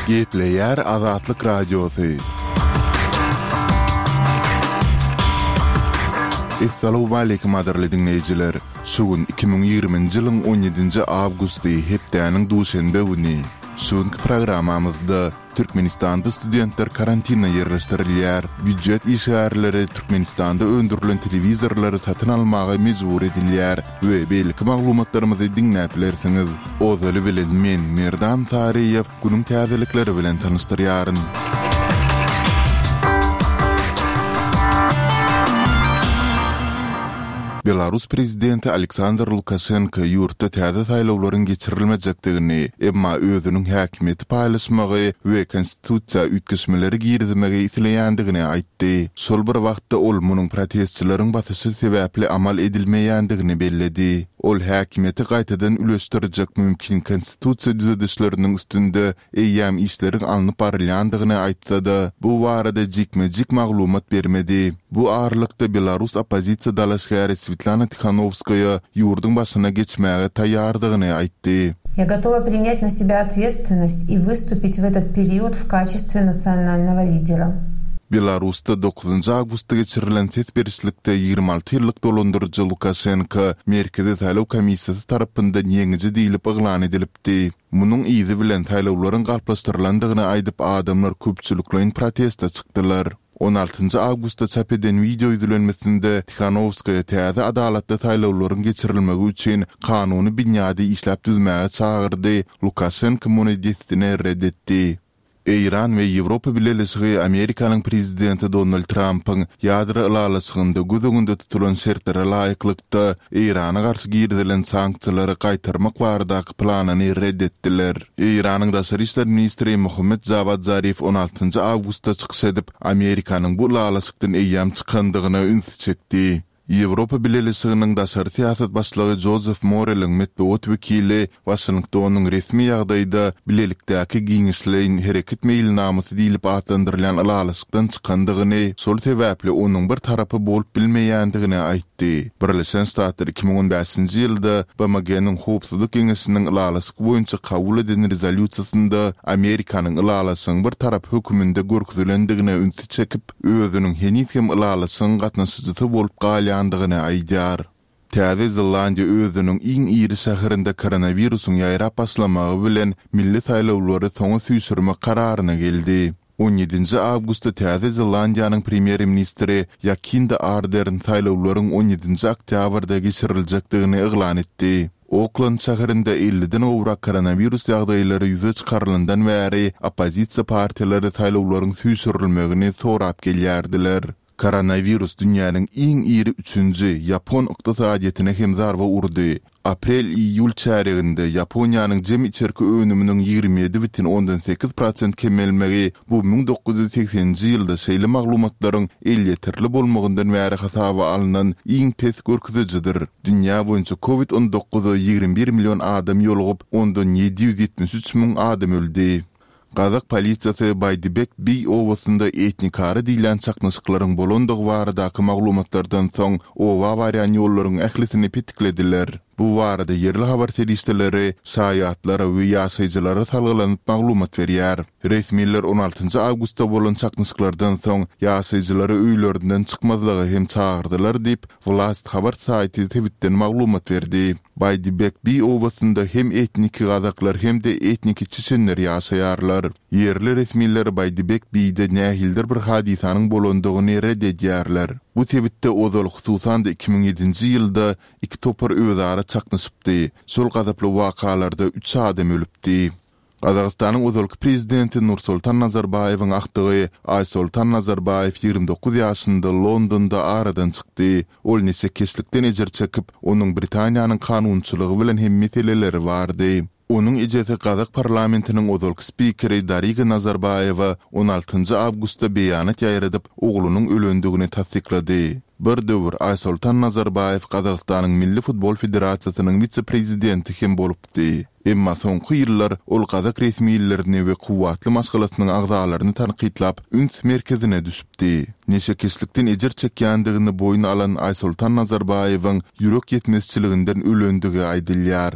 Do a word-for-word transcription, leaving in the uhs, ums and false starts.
Gepleýär Azatlyk Radiosy. Essalawmaleýkim gadyrly diňleýjiler! Şu gün iki müň ýigriminji ýylyň on ýedinji awgusty, hepdäniň duşenbe güni. Şu günki programmamyzda Türkmenistanda studentler karantine ýerleşdirilýär, býujet işgärleri Türkmenistanda öndürilen telewizorlary satyn almaga mejbur edilýär we beýleki maglumatlarymyzy diňläp bilersiňiz. Ozaly bilen men, Merdan Saryýew, günüň täzelikleri bilen tanyşdyrýaryn. Belarus prezidenti Aleksandr Lukaşenko ýurtda täze saýlawlaryň geçirilmejekdigini, emma özüniň häkimiýeti paýlaşmagy we konstitusiýa üýtgeşmeleri girizmegi isleýändigini aýtdy. Şol bir wagtda ol munuň protestçileriň basyşy sebäpli amal edilmeýändigini belledi. Ol häkimiýeti gaýtadan üleşdirjek mümkin konstitusiýa düzedişleriniň üstünde eýýäm işleriň alnyp barylýandygyny aýtsa-da, bu barada jikme-jik maglumat bermedi. Bu aralykda belarus oppozisiýa dalaşgäri Swetlana Tihanowskaýa ýurduň başyna geçmäge taýýardygyny aýtdy. Я готова принять на себя ответственность и выступить в этот период в качестве национального лидера. Belarusda dokuzynjy awgustda geçirilen ses berişlikde ýigrimi alty ýyllyk dolandyryjy Lukaşenko Merkezi saýlaw komissiýasy tarapyndan ýeňiji diýlip yglan edilipdi. Munuň yzy bilen saýlawlaryň galplaşdyrylandygyny aýdyp adamlar köpçülikleýin proteste çykdylar. On altynjy awgustda çap eden wideo ýüzlenmesinde Tihanowskaýa täze adalatly saýlawlaryň geçirilmegi üçin kanuny binýady işläp düzmäge çagyrdy, Lukaşenko muny dessine red etdi. Eýran we Ýewropa Bileleşigi Amerikanyň prezidenti Donald Trampyň ýadro ylalaşygynda göz öňünde tutulan şertlere laýyklykda Eýrana garşy girizilen sanksiýalary gaýtarmak baradaky planyny red etdiler. Eýranyň daşary işler ministri Mohammed Jawad Zarif on altynjy awgustda çykyş edip, Amerikanyň bu ylalaşykdan eýýäm çykandygyna ünsi çekdi. Ýewropa Bileleşiginiň daşary syýasat başlygy Jozef Moreliň metbugat wekili Waşingtonyň resmi ýagdaýda bilelikdäki giňişleýin hereket meýilnamasy diýlip atlandyrylýan ylalaşykdan çykandygyny, şol sebäpli onuň bir tarapy bolup bilmeýändigini aýtdy. Birleşen Ştatlar iki müň on bäşinji ýylda B M G-niň Howpsuzlyk Geňeşiniň ylalaşyk boýunça kabul eden rezolýusiýasynda Amerikanyň ylalaşygyň bir tarapy höküminde görkezilendigine ünsi çekip, özüniň heniz hem ylalaşygyň gatnaşyjysy bolup galýandygyny aýdýar. Täze Zelandiýa özüniň iň iri şäherinde koronawirusyň ýaýrap başlamagy bilen milli saýlawlary soňa süýşürmek kararyna geldi. On ýedinji awgustda Täze Zelandiýanyň premýer-ministri Jakinda Ardern saýlawlaryň on ýedinji oktýabrda geçiriljekdigini yglan etdi. Oklend şäherinde elliden gowrak koronawirus ýagdaýlary ýüze çykarylandan bäri oppozisiýa partiýalary saýlawlaryň süýşürilmegini sorap gelýärdiler. Koronawirus dünýäniň iň iri üçünji ýapon ykdysadyýetine hem zarba urdy. Aprel-iýul çärýeginde Ýaponiýanyň jem içerki önüminiň ýigrimi ýedi bütin ondan sekiz prosent kemelmegi bu müň dokuz ýüz segseninji ýylda şeýle maglumatlaryň elýeterli bolmagyndan bäri hasaba alnan iň pes görkezijidir. Dünýä boýunça covid on dokuza ýigrimi bir million adam ýolugyp, ondan ýedi ýüz ýetmiş üç müň adam öldi. Gazak polisiýasy Baýdibek biý obasynda etnikara diýilýän çaknyşyklaryň bolandygy baradaky maglumatlardan soň oba barýan ýollaryň ählisini petiklediler. Bu barada ýerli habar serişdeleri şaýatlara we ýaşaýjylara salgylanyp maglumat berýär. Resmiler on altynjy awgustda bolan çaknyşyklardan soň ýaşaýjylary öýlerinden çykmazlyga hem çagyrdylar diýip, Wlast habar saýty sebitden maglumat berdi. Baýdibek biý obasynda hem etniki gazaklar hem-de etniki çeçenler ýaşaýarlar. Ýerli resmiler Baýdibek biýde nähilidir bir hadysanyň bolandygyny red edýärler. Bu sebitde ozal, hususan-da iki müň ýedinji ýylda iki topar özara çaknyşypdy. Şol gazaply wakalarda üç adam ölüpdi. Gazagystanyň ozalky prezidenti Nursultan Nazarbaýewiň agtygy Aýsoltan Nazarbaýew ýigrimi dokuz ýaşynda Londonda aradan çykdy. Ol neşekeşlikden ejir çekip, onuň Britaniýanyň kanunçylygy bilen hem meseleleri bardy. Onuň ejesi gazak parlamentiniň ozalky spikeri Dariga Nazarbaýewa on altynjy awgustda beýanat ýaýradyp, oglunyň ölendigini tassyklady. Bir döwür Aýsoltan Nazarbaýew Gazagystanyň Milli futbol federasiýasynyň wise-prezidenti hem bolupdy. Emma soňky ýyllar ol gazak resmilerini we kuwwatly maşgalasynyň agzalaryny tankytlap, üns merkezine düşüpdi. Neşekeşlikden ejir çekýändigini boýun alan Aýsoltan Nazarbaýewiň ýürek ýetmezçiliginden ölendigi aýdylýar.